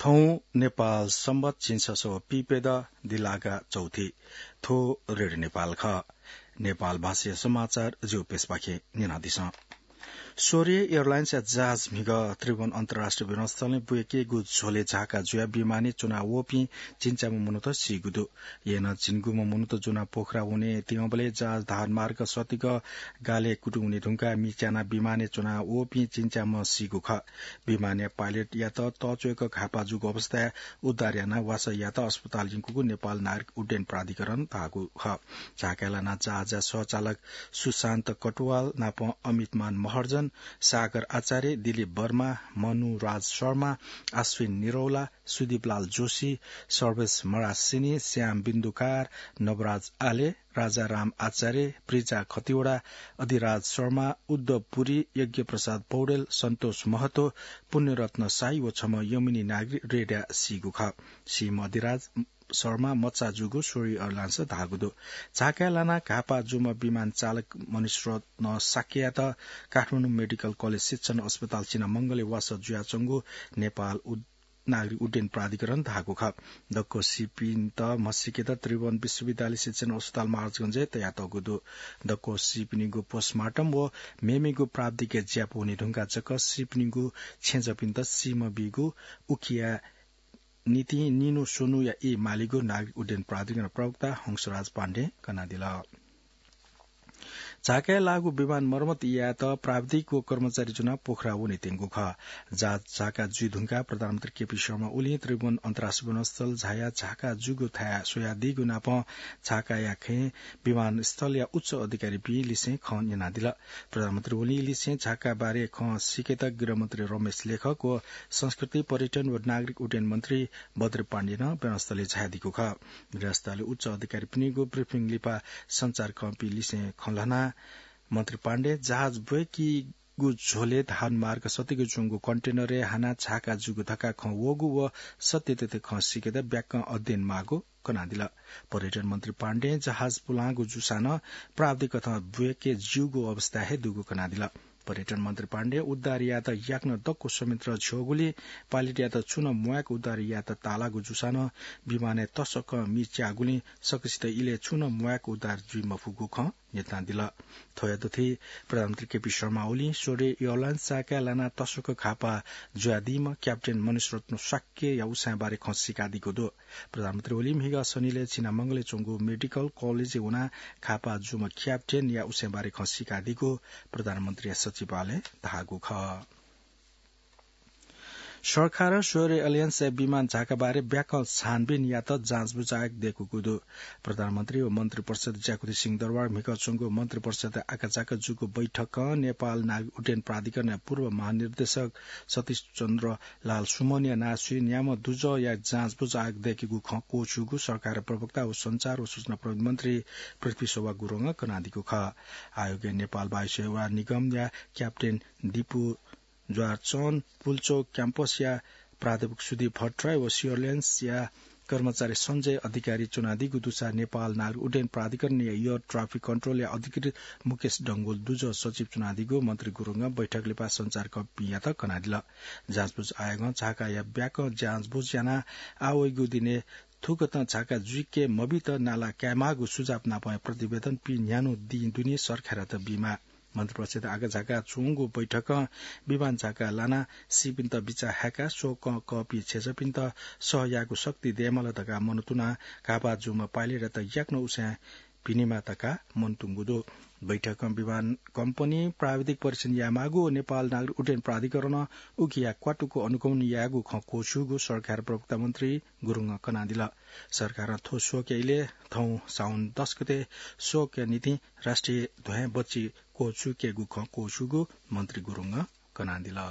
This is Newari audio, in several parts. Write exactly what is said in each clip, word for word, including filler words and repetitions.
थौं नेपाल संवत् झिंछसः पिप्यदँ दिल्लागा चौथि। थ्व रेडियो नेपाल खः। नेपाल भाषाया समाचार जिगु प्यसःपाखें न्यनादिसँ। स्वरे एयरलाइन्सया जहाज म्हिगः त्रिभुवन अन्तर्राष्ट्रिय विमानस्थलय् बुय्केगु झ्वलय् झाका जुयाः विमानय् च्वना वःपिं झिंच्याम्ह मनूत सीगु दु। अय्‌नं झिंगुम्ह मनूत ज्वनाः पोखरा वनेत्यंबलय् जहाज धारमार्ग सतिक गालय् कुतुं वने धुंकाः मि च्यानाः विमानय् च्वना वःपिं झिंच्याम्ह सीगु खः। विमानया पाइलटयात तःच्वय्‌क घाःपाः जूगु अवस्थाय् उद्धार यानाः वासः यायेत अस्पताल यंकूगु नेपाल नागरिक उड्डयन प्राधिकरणं धाःगु खः। झाकाय् लानाः जहाजया सहचालक सुशान्त कटुवाल नाप अमितमान महर्जन, सागर आचार्य, दिलीप वर्मा, मनुराज शर्मा, अश्विन निरौला, सुदीपलाल जोशी, सर्वेश मरासिनी, श्याम बिन्दुकार, नवराज आले, राजाराम आचार्य, प्रिजा खतिवडा, अधिराज शर्मा, उद्धव पुरी, यज्ञप्रसाद पौडेल, सन्तोष महतो, पुण्यरत्न साई व छम्ह यमुनी नागरिक रेड्या सीगु खः। सीम्ह अधिराज शर्मा मचा जूगु स्वरे एयरलाइन्सं धाःगु दु। झाकाय् लानाः घाःपाः जूम्ह विमान चालक मणिरत्न शाक्ययात काठमाडौं मेडिकल कलेज शिक्षण अस्पताल चिनामंगलय् वासः जुयाच्वंगु नेपाल उड-, नागरिक उड्डयन प्राधिकरणं धाःगु खः। दक्व सीपिन्त म्हसीकेत त्रिभुवन विश्वविद्यालय शिक्षण अस्पताल महाराजगंजय् तयातःगु दु। दक्व सीपिनिगु पोस्टमार्टम व मेमेगु प्राविधिक ज्यापू वने धुंकाः जक सीपिनिगु छेँजःपिन्त सीम्ह बीगु उकिया निंतिं निन्हु स्वन्हुया ई मालीगु नागरिक उड्डयन प्राधिकरण प्रवक्ता हंसराज पाण्डें कनादिल। झाकाय् लाःगु विमान मर्मत यायेत प्राविधिक व कर्मचारी ज्वनाः पोखरा वनेत्यंगु खः। जहाज झाका जुइ धुंकाः प्रधानमन्त्री केपी शर्मा ओलीं त्रिभुवन अन्तर्राष्ट्रिय विमानस्थल झायाः झाका जूगु थाय् स्वयादीगु नापं झाकाया खँय् विमानस्थलया उच्च अधिकारीपिं लिसें खँ न्यनादिल। प्रधानमन्त्री ओलीं लिसें झाका बारे खँ सीकेत गृहमन्त्री रमेश लेखक व संस्कृति, पर्यटन व नागरिक उड्डयन मन्त्री बद्री पाण्डें नं विमानस्थलय् झायादीगु खः। विमानस्थलय् उच्च अधिकारीपिनिगु ब्रिफिङ लिपा सञ्चारकर्मीपिं लिसें खँ ल्हानाः मन्त्री पाण्डें जहाज बुय्केगु झ्वलय् धारमार्ग सतिक च्वंगु कन्टेनरय् हानाः झाका जूगु धकाः खँ वःगु व सत्यतथ्य खँ सीकेत ब्याक्कं अध्ययन माःगु कनादिल। पर्यटन मन्त्री पाण्डें जहाज पुलांगु जूसां नं प्राविधिक कथं बुय्के ज्यूगु अवस्था हे दुगु कनादिल। पर्यटन मन्त्री पाण्डें उद्धार यायेत याकनं दक्व संयन्त्र झ्यःगुलिं पाइलटयात छुं नं म्वायेक उद्धार यायेत ताःलाःगु जूसां नं विमानय् तसकं मि च्याःगुलिं सकसित इलय् छुं नं म्वायेक उद्धार जुइ मफुगु खँ न्यनादिल। थ्वयात थी प्रधानमन्त्री केपी शर्मा ओलीं स्वरे एयरलाइन्स झाकाय् लानाः तसकं घाःपाः जुयादीम्ह क्याप्टेन मणिरत्न शाक्यया उसाँय् बारे खँ सीकादीगु दु। प्रधानमन्त्री ओलीं म्हिगः शनिलय् चिनामंगलय् च्वंगु मेडिकल कलेजय् वनाः घाःपाः जूम्ह क्याप्टेनया उसाँय् बारे खँ सीकादीगु प्रधानमन्त्रीया सचिवालयं धाःगु खः। सरकारं स्वरे एयरलाइन्सया विमान झाका बारे ब्याकं छानबिन यायेत जाँचबुझ आयोग दय्कूगु दु। प्रधानमन्त्री व मन्त्रिपरिषद ज्याकुथि सिंहदरबार म्हिगः च्वंगु मन्त्रिपरिषद आकाझाका जूगु बैठकं नेपाल नागरिक उड्डयन प्राधिकरणया पूर्व महानिर्देशक सतीश चन्द्र लाल सुमनया नां स्वीन्याम्ह दुजःया जाँचबुझ आयोग दय्केगु खँ क्वःछ्यूगु सरकारया प्रवक्ता व सञ्चार व सूचना प्रविधि मन्त्री पृथ्वी शोभा गुरुङं कनादीगु खः। आयोगय् नेपाल वायुसेवा निगमया क्याप्टेन दिपु ज्वारचन, पुल्चोक क्याम्पसया प्राध्यापक सुदीप भट्टराई व स्वरे एयरलाइन्सया कर्मचारी सञ्जय अधिकारी च्वनादीगु दुसा नेपाल नागरिक उड्डयन प्राधिकरणया एयर ट्राफिक कन्ट्रोलया अधिकृत मुकेश डंगोल दुजः सचिव च्वनादीगु मन्त्री गुरुङं बैठक लिपा सञ्चारकर्मीपिंयात कनादिल। जाँचबुझ आयोगं झाकाया ब्याकं जाँचबुझ यानाः आः वइगु दिनय् थुकथं झाका जुइके मबीत नाला कायेमाःगु सुझाव नापं प्रतिवेदन पीन्यान्हु दिं दुने सरकारयात बीमाः। मन्त्रिपरिषद आकाझाका च्वंगु बैठकं विमान झाका लानाः सीपिन्त बिचाः हायेकाः स्वकं कःपिं छेँजःपिन्त सह यायेगु शक्ति दयेमाल धकाः मनंतुनाः घाःपाः जूम्ह पाइलटयात याकनं उसाँय् बिनेमाः धकाः मनंतुंगु दु। बैठकं विमान कम्पनी प्राविधिक परीक्षण यायेमाःगु व नेपाल नागरिक उड्डयन प्राधिकरणं उकिया क्वातुक अनुगमन यायेगु खँ क्वःछ्यूगु सरकार प्रवक्ता मन्त्री गुरुङं कनादिल। सरकारं थ्व स्वकया इलय् थौं साउन दस गते स्वकया निंतिं राष्ट्रिय ध्वाँय् बच्ची क्वःछ्यूकेगु खँ क्वःछ्यूगु मन्त्री गुरुङं कनादिल।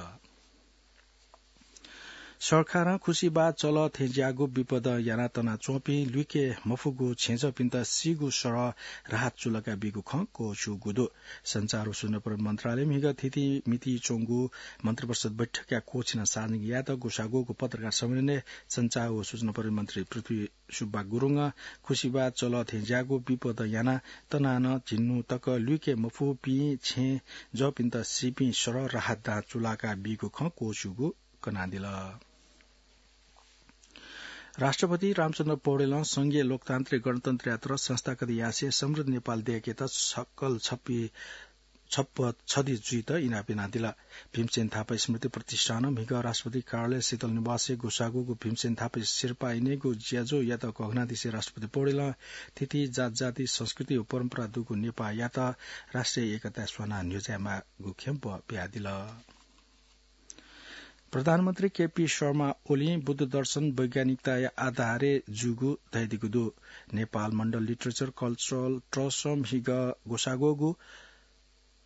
सरकारं खुसिबाः चलः थें ज्याःगु विपदं यानाः तनाच्वंपिं लुइके मफुगु छेँजःपिन्त सीगु सरह राहत चुलाका बीगु खँ क्वःछ्यूगु दु। सञ्चार व सूचना प्रविधि मन्त्रालयं म्हिगः थीथी मिति च्वंगु मन्त्रिपरिषद बैठकया क्वःछिना सार्वजनिक यायेत ग्वसाः ग्वःगु पत्रकार सम्मेलनय् सञ्चार व सूचना प्रविधि मन्त्री पृथ्वी सुब्बा गुरुङं खुसिबाः चलः थें ज्याःगु विपदं यानाः तनाः नं झिन्हु तक लुइके मफुपिं छेँजःपिन्त सीपिं सरह राहत दां चुलाका बीगु खँ क्वःछ्यूगु कनादिल। राष्ट्रपति रामचन्द्र पौडेलं संघीय लोकतान्त्रिक गणतन्त्र यात्रा संस्थागत यासें समृद्ध नेपाल दय्केत सकल छप्पी छप्प छधि जुइत इनाप यानादिल। भीमसेन थापा स्मृति प्रतिष्ठानं म्हिगः राष्ट्रपति कार्यालय शीतल निवासय् ग्वसाःगु भीमसेन थापा सिरपाः इनेगु ज्याझ्वःयात घोघनादिसें राष्ट्रपति पौडेलं थीथी जातजाति संस्कृति व परम्परा दुगु नेपाःयात राष्ट्रिय एकताय् स्वानाः न्ह्यज्यायेमाःगु खेम्प बियादिल। प्रधानमन्त्री केपी शर्मा ओलीं बुद्ध दर्शन वैज्ञानिकताया आधारय् जूगु धयादीगु दु। नेपाल मण्डल लिटरेचर कल्चरल ट्रस्टं म्हिगः ग्वसाःगु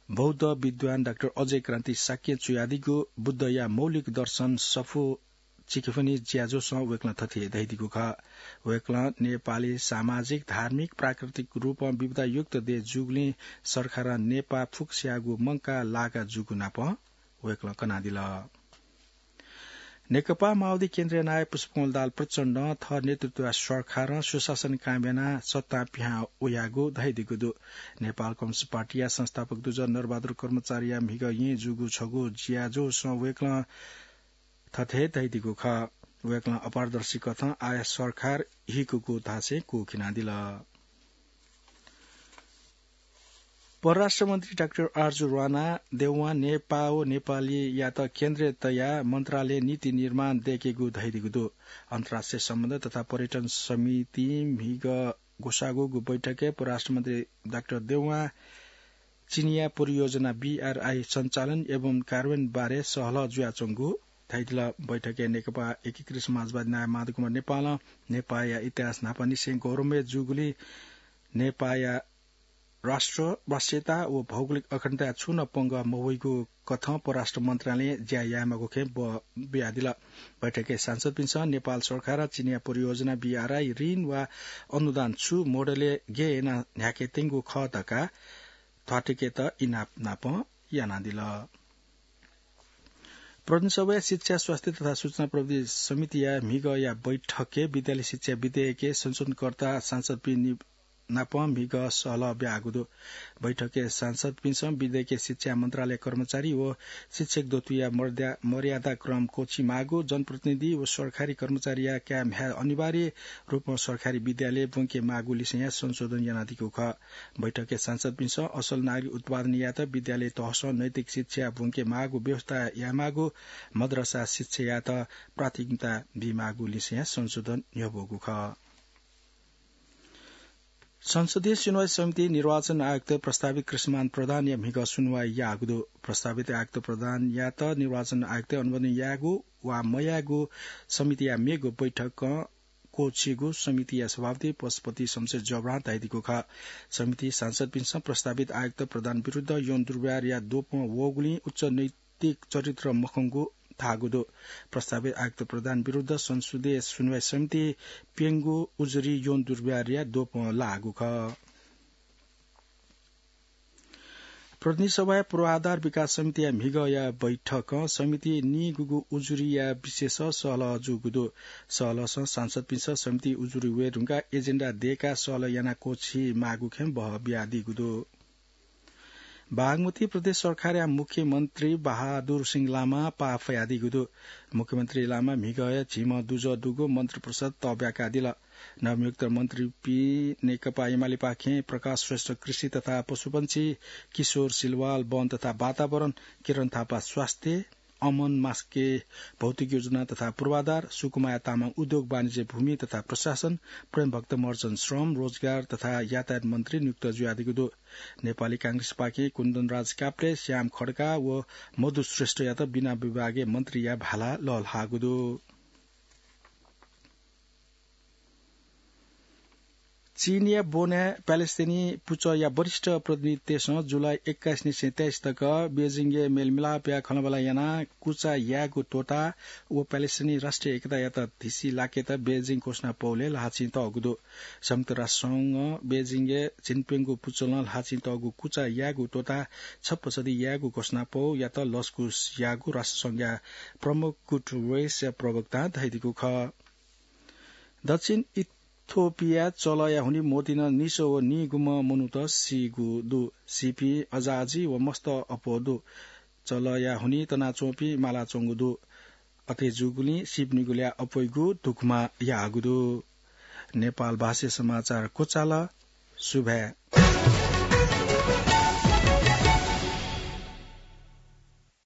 बौद्ध विद्वान डाक्टर अजय क्रान्ति शाक्यं च्वयादीगु बुद्धया मौलिक दर्शन सफू चिकिफनि ज्याझ्वःसं वय्कलं थथे धयादीगु खः। वय्कलं नेपालय् सामाजिक, धार्मिक, प्राकृतिक रूपं विविधतायुक्त देय् जूगुलिं सरकारं नेपाः फुक्कसियागु मंकाः लागा जूगु नापं वय्कलं कनादिल। नेकपा माओवादी केन्द्रीय नायः पुष्पकमल दाहाल प्रचण्डं थः नेतृत्वया सरकारं सुशासन कायम यानाः सत्तां पिहां वयागु धयादीगु दु। नेपाल कम्युनिस्ट पार्टीया संस्थापक दुजः नरबहादुर कर्मचारीया म्हिगः येँ जूगु छगू ज्याझ्वःसं वय्कलं थथे धयादीगु खः। वय्कलं अपारदर्शी कथं आः सरकार हिकुगु धासें क्वःखिनादिल। परराष्ट्र मन्त्री डाक्टर आरजु राणा देउवां नेपाः व नेपालीयात केन्द्रय् तयाः मन्त्रालय नीति निर्माण दय्केगु धयादीगु दु। अन्तर्राष्ट्रिय सम्बन्ध तथा पर्यटन समितिं म्हिगः ग्वसाःगु बैठकय् परराष्ट्र मन्त्री डाक्टर देउवां चिनियाँ परियोजना बीआरआई सञ्चालन एवं कार्यान्वयन बारे सहलह जुयाच्वंगु धयादिल। बैठकय् नेकपा एकीकृत समाजवादी नायः माधव कुमार नेपालं नेपाःया इतिहास न्हापांनिसें गौरवमय जूगुलिं नेपाःया राष्ट्र, राष्ट्रियता व भौगोलिक अखण्डताय् छुं नं पंगः मवइगु कथं परराष्ट्र मन्त्रालयं ज्या यायेमाःगु खँय् बः बियादिल। बैठकय् सांसदपिन्सं नेपाल सरकारं चिनियाँ परियोजना बीआरआई ऋण वा अनुदान छु मोडलय् गय् यानाः न्ह्याके त्यंगु खः धकाः थ्वाथुइकेत इनाप नापं यानादिल। प्रतिनिधि सभाया शिक्षा, स्वास्थ्य तथा सूचना प्रविधि समितिया म्हिगःया बैठकय् विद्यालय शिक्षा विधेयकय् संशोधनकर्ता सांसदपिं नि-, नाप म्हिगः सहलह ब्याःगु दु। बैठकय् सांसदपिन्सं विधेयकय् शिक्षा मन्त्रालय कर्मचारी व शिक्षक दथुया मर्द्या-, मर्यादा क्रम क्वःछी माःगु, जनप्रतिनिधि व सरकारी कर्मचारीया काय् म्ह्याय् अनिवार्य रूपं सरकारी विद्यालय ब्वंके माःगु लिसेंया संशोधन यानादीगु खः। बैठकय् सांसदपिन्सं असल नागरिक उत्पादन यायेत विद्यालय तहसं नैतिक शिक्षा ब्वंके माःगु व्यवस्था यायेमाःगु, मदरसा शिक्षायात प्राथमिकता बीमाःगु लिसेंया संशोधन न्ह्यब्वःगु खः। संसदीय सुनवाई समितिं निर्वाचन आयुक्त प्रस्तावित कृष्णमान प्रधानया म्हिगः सुनवाई याःगु दु। प्रस्तावित आयुक्त प्रधानयात निर्वाचन आयुक्त अनुमोदन यायेगु वा मयायेगु समितिया मेगु बैठकं क्वःछीगु समितिया सभापति पशुपति शमशेर जब्रां धयादीगु खः। समितिं सांसदपिन्सं प्रस्तावित आयुक्त प्रधान विरुद्ध यौन दुर्व्यवहारया द्वपं वःगुलिं उच्च नैतिक चरित्र मखंगु धाःगु दु। प्रस्तावित आयुक्त प्रधान विरुद्ध संसदीय सुनवाई समितिं प्यंगू उजुरी यौन दुर्व्यवहारया द्वपं लाःगु खः। प्रतिनिधि सभाया पूर्वाधार विकास समितिया म्हिगःया बैठकं समितिं नीगूगु उजुरीया विषयस सहलह जूगु दु। सहलहसं सांसदपिन्सं समितिं उजुरी वये धुंकाः एजेन्डा दय्काः सहलह यानाः क्वःछी माःगु खँय् बहः बियादीगु दु। बागमती प्रदेश सरकारया मुख्यमन्त्री बहादुर सिंह लामां पाः फयादीगु दु। मुख्यमन्त्री लामां म्हिगःया झिम्ह दुजः दुगु मन्त्री परिषद तःब्याकादिल। नवनियुक्त मन्त्रीपिं नेकपा एमालेपाखें प्रकाश श्रेष्ठ कृषि तथा पशुपंक्षी, किशोर सिलवाल वन तथा वातावरण, किरण थापा स्वास्थ्य, अमन मास्के भौतिक योजना तथा पूर्वाधार, सुकुमाया तामाङ उद्योग वाणिज्य भूमि तथा प्रशासन, प्रेमभक्त महर्जन श्रम, रोजगार तथा यातायात मन्त्री नियुक्त जुयादीगु दु। नेपाली कांग्रेसपाखें कुन्दनराज काप्रे, श्याम खड्का व मधु श्रेष्ठयात बिना विभागय् मन्त्रीया भाला लःल्हाःगु दु। चीनया बोन्याय् प्यालेस्टिनी पुचःया वरिष्ठ प्रतिनिधितय्सं जुलाई एक्काइस निसें तेइस तक बेजिङय् मेलमिलापया खँल्हाबल्हा यानाः कुचा यायेगु त्वःताः व प्यालेस्टिनी राष्ट्रिय एकतायात धिसी लाकेत बेजिङ घोषणापौलय् ल्हाःचिं तःगु दु। संयुक्त राष्ट्र संघं बेजिङय् झिंप्यंगू पुचलं ल्हाःचिं तःगु कुचा यायेगु त्वःताः छप्पा छधि यायेगु घोषणापौयात लसकुस याःगु राष्ट्र संघया प्रमुख गुटरेसया प्रवक्तां धयादीगु खः। दक्षिण इथियोपियाय् चलःया हुनिं मौतिनं निसः व नीगुम्ह मनूत सीगु दु। सीपिं अजाअजि व मस्त अप्वः दु। चलःया हुनिं तनाच्वंपिं मालाच्वंगु दु। अथे जूगुलिं सीपिनिगु ल्याः अप्वइगु दुःखमा याःगु दु। नेपाल भाषाया समाचार क्वचाल। सुभाय्।